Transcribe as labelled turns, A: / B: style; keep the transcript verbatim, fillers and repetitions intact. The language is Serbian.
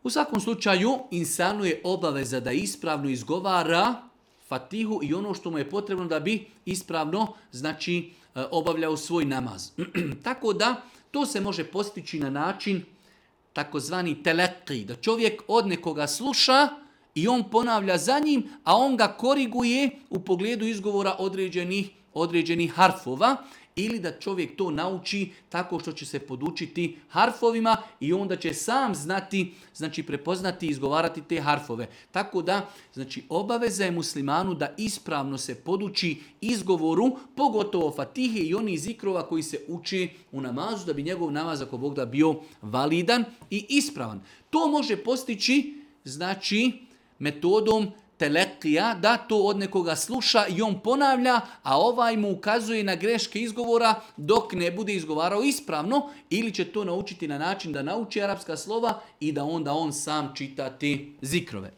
A: U svakom slučaju, insanu je obaveza da ispravno izgovara Fatihu i ono što mu je potrebno da bi ispravno, znači, obavljao svoj namaz. Tako da, to se može postići na način takozvani teleki, da čovjek od nekoga sluša i on ponavlja za njim, a on ga koriguje u pogledu izgovora određenih, određenih harfova, ili da čovjek to nauči tako što će se podučiti harfovima i onda će sam znati, znači prepoznati i izgovarati te harfove. Tako da, znači obaveza je muslimanu da ispravno se poduči izgovoru, pogotovo Fatihe i onih zikrova koji se uči u namazu, da bi njegov namaz, ako Bog da, bio validan i ispravan. To može postići, znači, metodom telekija, da to od nekoga sluša i on ponavlja, a ovaj mu ukazuje na greške izgovora dok ne bude izgovarao ispravno, ili će to naučiti na način da nauči arapska slova i da onda on sam čita te zikrove.